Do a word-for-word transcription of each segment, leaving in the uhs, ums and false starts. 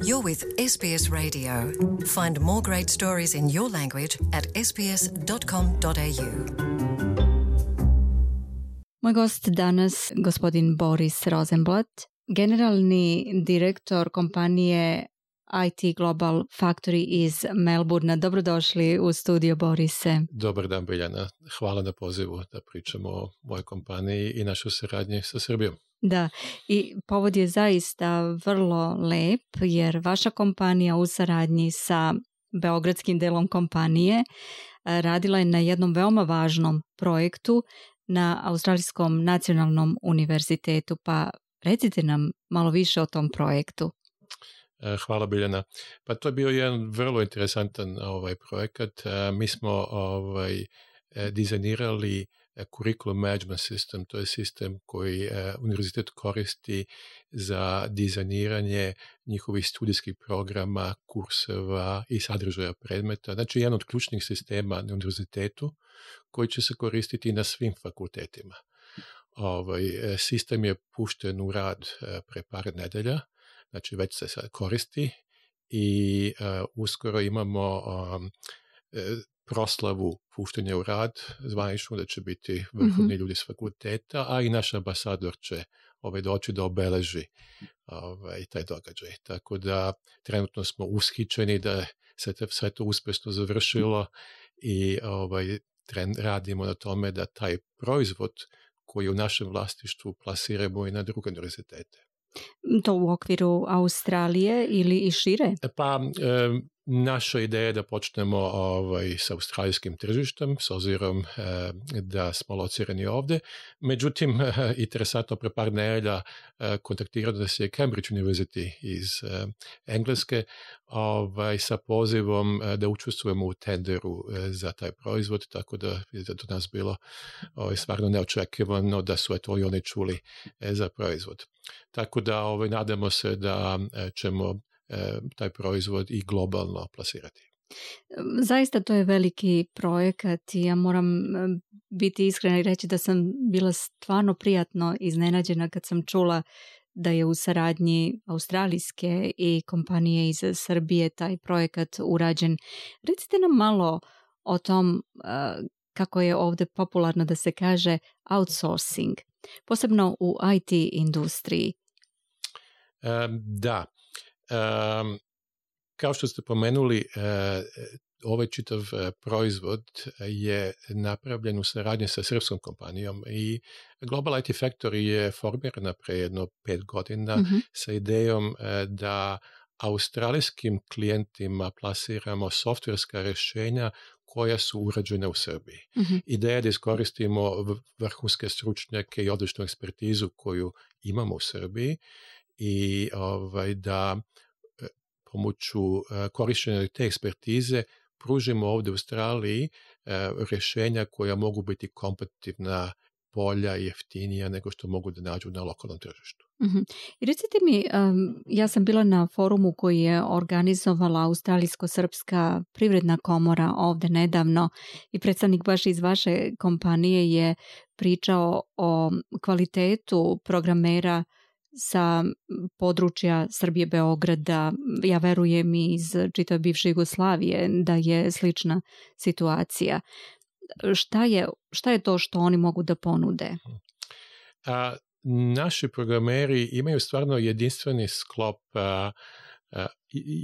You're with S B S Radio. Find more great stories in your language at s b s dot com dot a u. Moj gost danas, gospodin Boris Rosenblatt, generalni direktor kompanije I T Global Factory iz Melbourna. Dobrodošli u studio, Borise. Dobar dan, Biljana. Hvala na pozivu da pričamo o mojoj kompaniji i našoj saradnji sa Srbijom. Da, i povod je zaista vrlo lep, jer vaša kompanija u saradnji sa beogradskim delom kompanije radila je na jednom veoma važnom projektu na Australijskom nacionalnom univerzitetu, pa recite nam malo više o tom projektu. Hvala, Biljana. Pa to je bio jedan vrlo interesantan ovaj projekat. Mi smo ovaj dizajnirali curriculum management system, to je sistem koji univerzitet koristi za dizajniranje njihovih studijskih programa, kurseva i sadržaja predmeta. Znači, jedan od ključnih sistema na univerzitetu koji će se koristiti na svim fakultetima. Ovaj sistem je pušten u rad pre par nedelja, znači već se sad koristi i uh, uskoro imamo um, proslavu puštenja u rad zvaničnu, da će biti vrhovni mm-hmm. ljudi s fakulteta, a i naš ambasador će ovaj, doći da obeleži ovaj, taj događaj. Tako da trenutno smo ushićeni da se te, sve to uspešno završilo i ovaj, tren, radimo na tome da taj proizvod koji u našem vlasništvu plasiramo i na druge univerzitete. To u okviru Australije ili i šire? Pa e, naša ideja je da počnemo ovaj, sa australijskim tržištem, s obzirom e, da smo locirani ovde. Međutim, e, interesantno, pre par nedelja e, kontaktirao nas je Cambridge University iz e, Engleske ovaj, sa pozivom e, da učestvujemo u tenderu e, za taj proizvod, tako da je do nas bilo ovaj, stvarno neočekivano da su eto i oni čuli e, za proizvod. Tako da ovaj, nadamo se da e, ćemo e, taj proizvod i globalno plasirati. Zaista to je veliki projekat i ja moram biti iskrena i reći da sam bila stvarno prijatno iznenađena kad sam čula da je u saradnji australijske i kompanije iz Srbije taj projekat urađen. Recite nam malo o tom, kako je ovdje popularno da se kaže outsourcing, posebno u I T industriji. Um, da. Um, kao što ste pomenuli, uh, ovaj čitav uh, proizvod je napravljen u saradnji sa srpskom kompanijom i Global I T Factory je formirana pre jedno pet godina mm-hmm. sa idejom uh, da australijskim klijentima plasiramo softverska rešenja koja su urađena u Srbiji. Mm-hmm. Ideja je da iskoristimo vrhunske stručnjake i odličnu ekspertizu koju imamo u Srbiji i ovaj, da pomoću korišćenja te ekspertize pružimo ovdje u Australiji rješenja koja mogu biti kompetitivna, bolja i jeftinija nego što mogu da nađu na lokalnom tržištu. Mm-hmm. I recite mi, um, ja sam bila na forumu koji je organizovala Australijsko-srpska privredna komora ovdje nedavno i predstavnik baš iz vaše kompanije je pričao o kvalitetu programera sa područja Srbije, Beograda. Ja verujem i iz čitave bivše Jugoslavije da je slična situacija. Šta je, šta je to što oni mogu da ponude? A, naši programeri imaju stvarno jedinstveni sklop a, a,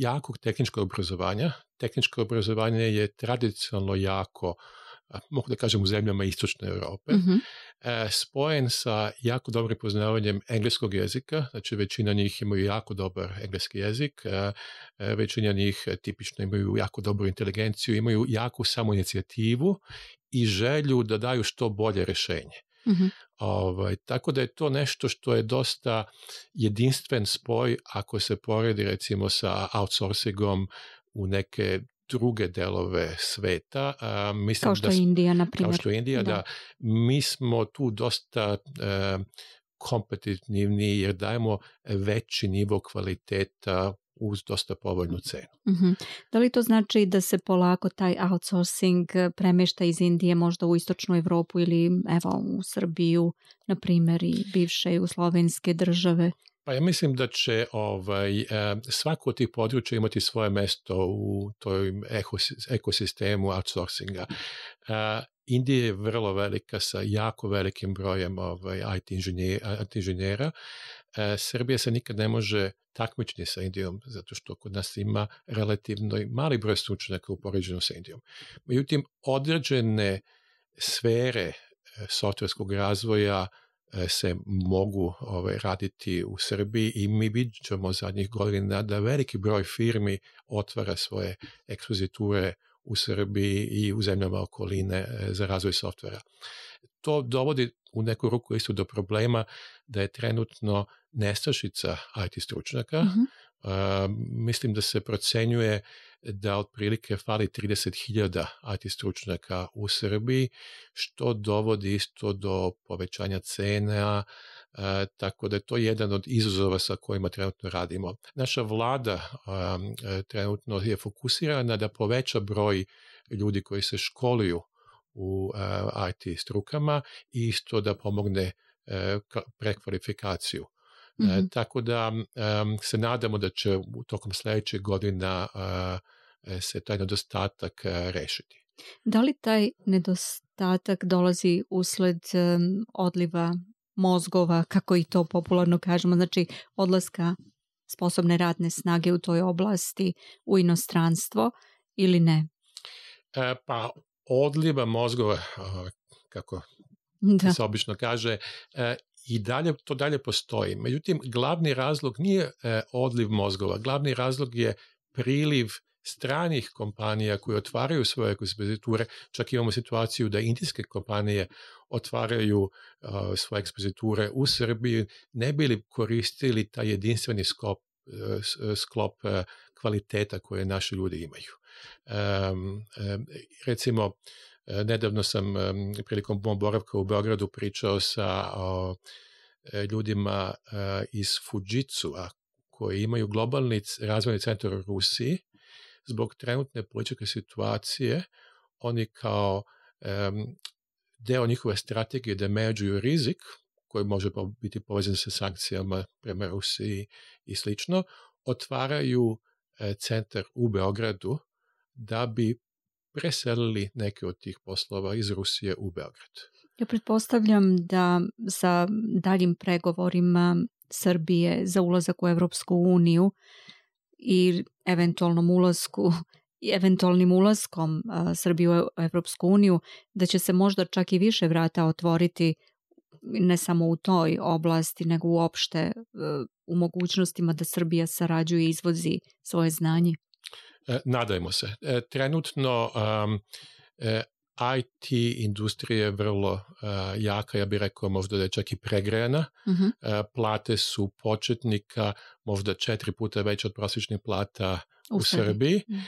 jakog tehničkog obrazovanja. Tehničko obrazovanje je tradicionalno jako, a, mogu da kažem, u zemljama istočne Europe, mm-hmm. a, spojen sa jako dobrim poznavanjem engleskog jezika, znači većina njih imaju jako dobar engleski jezik, a, a, većina njih tipično imaju jako dobru inteligenciju, imaju jaku samoinicijativu i želju da daju što bolje rešenje. Mm-hmm. Ovaj, tako da je to nešto što je dosta jedinstven spoj ako se poredi recimo sa outsourcingom u neke druge delove sveta. A, mislim kao što da, je Indija, na primjer. Kao što je Indija, da. da. Mi smo tu dosta e, kompetitivni jer dajemo veći nivo kvaliteta uz dosta povoljnu cenu. Mm-hmm. Da li to znači da se polako taj outsourcing premešta iz Indije možda u istočnu Evropu ili evo u Srbiju, na primjer, i bivše jugoslovenske države? Pa ja mislim da će ovaj, svako od tih područja imati svoje mesto u toj ekosistemu outsourcinga. Indija je vrlo velika sa jako velikim brojem ovaj, I T inženjera. Srbija se nikad ne može takmičiti sa Indijom, zato što kod nas ima relativno mali broj stručnjaka u poređenju sa Indijom. Međutim, određene sfere softverskog razvoja se mogu ovaj, raditi u Srbiji i mi vidimo zadnjih godina da veliki broj firmi otvara svoje ekspoziture u Srbiji i u zemljama okoline za razvoj softvera. To dovodi u neku ruku isto do problema da je trenutno nestašica I T stručnjaka. Mm-hmm. Uh, mislim da se procenjuje da otprilike fali trideset hiljada I T stručnjaka u Srbiji, što dovodi isto do povećanja cena, uh, tako da je to jedan od izazova sa kojima trenutno radimo. Naša vlada um, trenutno je fokusirana da poveća broj ljudi koji se školuju u uh, I T strukama i isto da pomogne uh, prekvalifikaciju. Mm-hmm. Uh, tako da um, se nadamo da će u tokom sljedećeg godina uh, se taj nedostatak uh, rešiti. Da li taj nedostatak dolazi usled um, odliva mozgova, kako i to popularno kažemo, znači odlaska sposobne radne snage u toj oblasti u inostranstvo ili ne? Uh, pa odliva mozgova, uh, kako da. se obično kaže, uh, i dalje, to dalje postoji. Međutim, glavni razlog nije uh, odliv mozgova. Glavni razlog je priliv stranih kompanija koje otvaraju svoje ekspoziture. Čak imamo situaciju da indijske kompanije otvaraju uh, svoje ekspoziture u Srbiji, ne bi li koristili taj jedinstveni skop, uh, sklop uh, kvaliteta koje naši ljudi imaju. Um, um, recimo, nedavno sam um, prilikom mog boravka u Beogradu pričao sa uh, ljudima uh, iz Fujitsua koji imaju globalni razvojni centar u Rusiji. Zbog trenutne političke situacije oni kao um, deo njihove strategije da menadžuju rizik koji može biti povezan sa sankcijama prema Rusiji i slično, otvaraju uh, centar u Beogradu da bi preselili neke od tih poslova iz Rusije u Beograd. Ja pretpostavljam da sa daljim pregovorima Srbije za ulazak u Evropsku uniju i eventualnom ulasku i eventualnim ulaskom a, Srbije u Evropsku uniju, da će se možda čak i više vrata otvoriti ne samo u toj oblasti, nego uopšte a, u mogućnostima da Srbija sarađuje i izvozi svoje znanje. Nadajmo se. Trenutno um, I T industrija je vrlo uh, jaka, ja bih rekao možda da je čak i pregrejana. Uh-huh. Uh, plate su početnika možda četiri puta veće od prosječnih plata u, u Srbiji, uh,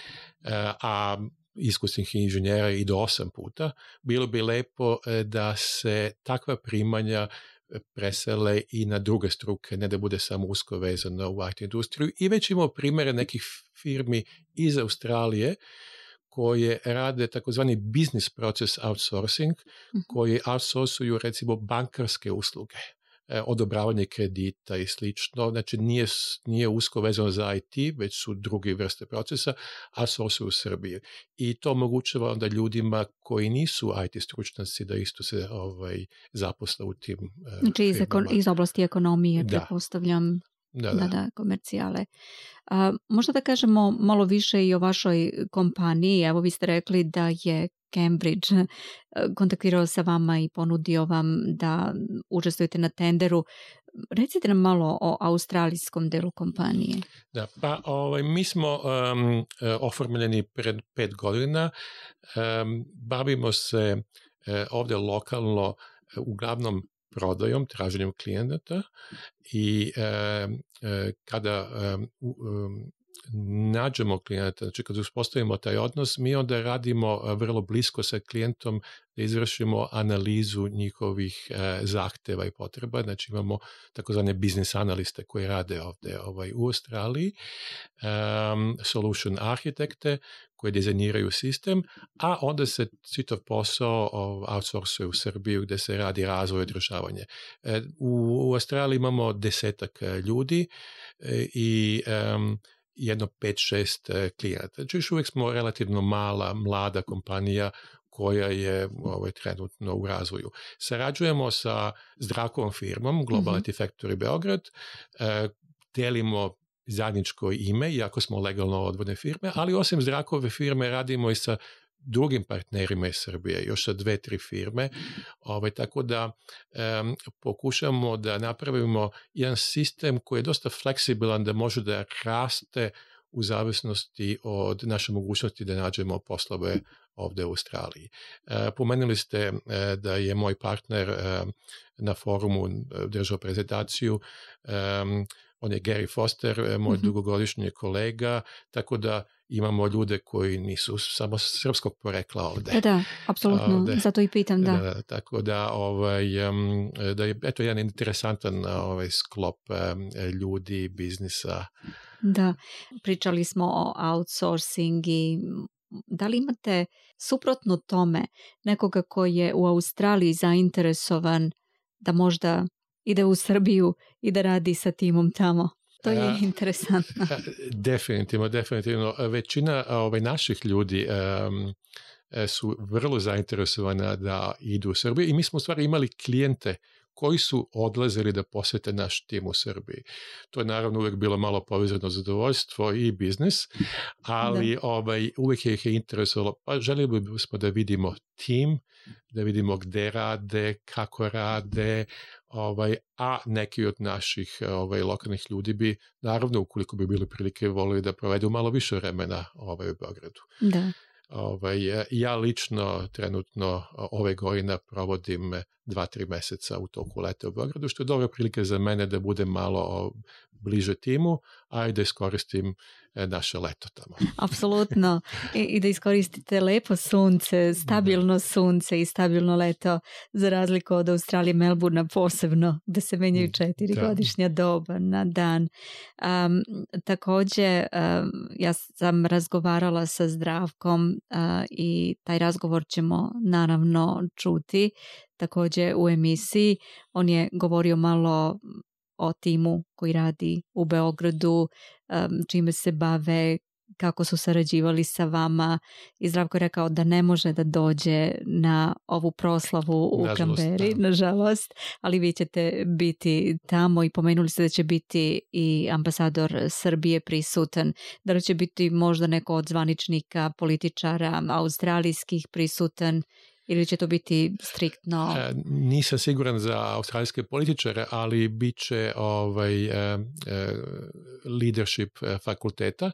a iskusnih inženjera i do osam puta. Bilo bi lepo uh, da se takva primanja presele i na druge struke, ne da bude samo usko vezano u I T industriju. I već imamo primjere nekih firmi iz Australije koje rade takozvani business process outsourcing, mm-hmm. koji outsourcuju recimo bankarske usluge, eh, odobravanje kredita i slično. Znači nije, nije usko vezano za I T, već su druge vrste procesa, outsourcuju u Srbiji. I to omogućava onda ljudima koji nisu I T stručnjaci da isto se ovaj, zaposle u tim eh, znači iz, ekon- iz oblasti ekonomije, da. Pretpostavljam. Da, da. da, da, komercijale. A, možda da kažemo malo više i o vašoj kompaniji. Evo vi ste rekli da je Cambridge kontaktirao sa vama i ponudio vam da učestvujete na tenderu. Recite nam malo o australijskom delu kompanije. Da, pa ovaj, mi smo um, oformljeni pred pet godina. Um, bavimo se uh, ovdje lokalno uh, uglavnom prodajom, traženjem klijenata i e, e, kada e, um, nađemo klijenta, znači kada uspostavimo taj odnos, mi onda radimo vrlo blisko sa klijentom da izvršimo analizu njihovih e, zahteva i potreba. Znači imamo takozvane biznis analiste koji rade ovdje ovaj, u Australiji, um, solution arhitekte koji dizajniraju sistem, a onda se čitav posao outsourcuje u Srbiju gdje se radi razvoj i održavanje. U, u Australiji imamo desetak ljudi i um, jedno pet, šest klijenata. Znači još uvijek smo relativno mala, mlada kompanija koja je ovaj, trenutno u razvoju. Sarađujemo sa Zdravkovom firmom, Global mm-hmm. I T Factory Beograd, e, delimo zajedničko ime, iako smo legalno odvojene firme, ali osim Zdravkove firme radimo i sa drugim partnerima iz Srbije, još sa dve, tri firme, ovaj, tako da um, pokušamo da napravimo jedan sistem koji je dosta fleksibilan, da može da raste u zavisnosti od naše mogućnosti da nađemo poslove ovdje u Australiji. E, pomenuli ste e, da je moj partner e, na forumu držao prezentaciju, e, on je Gary Foster, moj mm-hmm. dugogodišnji kolega, tako da imamo ljude koji nisu samo srpskog porekla ovdje. Da, da, apsolutno, ovdje. Zato i pitam, da. da tako da, ovaj, da je eto jedan interesantan ovaj, sklop ljudi, biznisa. Da, pričali smo o outsourcing i da li imate suprotno tome nekoga koji je u Australiji zainteresovan da možda ide u Srbiju i da radi sa timom tamo? To je a, interesantno. A, definitivno, definitivno. Većina ovaj, naših ljudi um, su vrlo zainteresovana da idu u Srbiju i mi smo u stvari imali klijente koji su odlazili da posjete naš tim u Srbiji. To je naravno uvijek bilo malo povezano zadovoljstvo i biznis, ali ovaj, uvijek ih je interesovalo, pa željeli bismo da vidimo tim, da vidimo gde rade, kako rade, ovaj, a neki od naših ovaj, lokalnih ljudi bi, naravno, ukoliko bi bili prilike, volili da provedu malo više vremena ovaj, u Beogradu. Da. Ovaj, ja lično trenutno ove godine provodim dva, tri meseca u toku leta u Beogradu, što je dobra prilika za mene da budem malo bliže timu, a i da iskoristim naše leto tamo. Apsolutno. I, I da iskoristite lepo sunce, stabilno sunce i stabilno leto, za razliku od Australije, Melbourna posebno, da se menjaju četiri da. godišnja doba na dan. Um, također, um, ja sam razgovarala sa Zdravkom uh, i taj razgovor ćemo naravno čuti također u emisiji. On je govorio malo o timu koji radi u Beogradu, čime se bave, kako su sarađivali sa vama, i Zdravko je rekao da ne može da dođe na ovu proslavu u Kamberi, nažalost, ali vi ćete biti tamo i pomenuli ste da će biti i ambasador Srbije prisutan. Da li će biti možda neko od zvaničnika, političara australijskih prisutan? Ili će to biti striktno? E, nisam siguran za australijske političare, ali bit će ovaj, e, e, leadership fakulteta.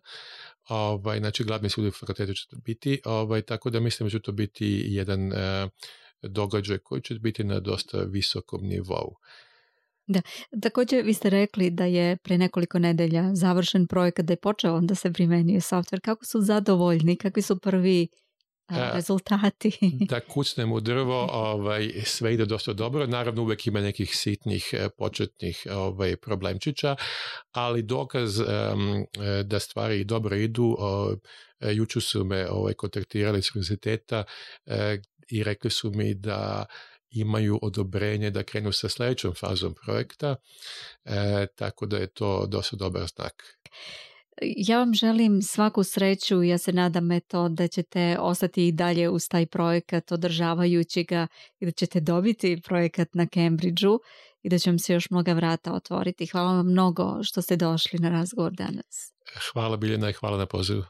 Ovaj, znači, glavni sudij fakulteta će to biti. Ovaj, tako da mislim da će to biti jedan e, događaj koji će biti na dosta visokom nivou. Da, također vi ste rekli da je pre nekoliko nedelja završen projekat, da je počeo da se primenjuje software. Kako su zadovoljni? Kakvi su prvi rezultati? Da kucnem u drvo, ovaj, sve ide dosta dobro. Naravno, uvijek ima nekih sitnih početnih ovaj, problemčića, ali dokaz um, da stvari dobro idu. Uh, jučer su me ovaj, kontaktirali iz univerziteta uh, i rekli su mi da imaju odobrenje da krenu sa sljedećom fazom projekta, uh, tako da je to dosta dobar znak. Ja vam želim svaku sreću i ja se nadam eto da ćete ostati i dalje uz taj projekat održavajući ga i da ćete dobiti projekat na Cambridgeu i da će vam se još mnoga vrata otvoriti. Hvala vam mnogo što ste došli na razgovor danas. Hvala Biljana i hvala na pozivu.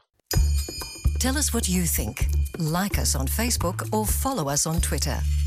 Tell us what you think. Like us on Facebook or follow us on Twitter.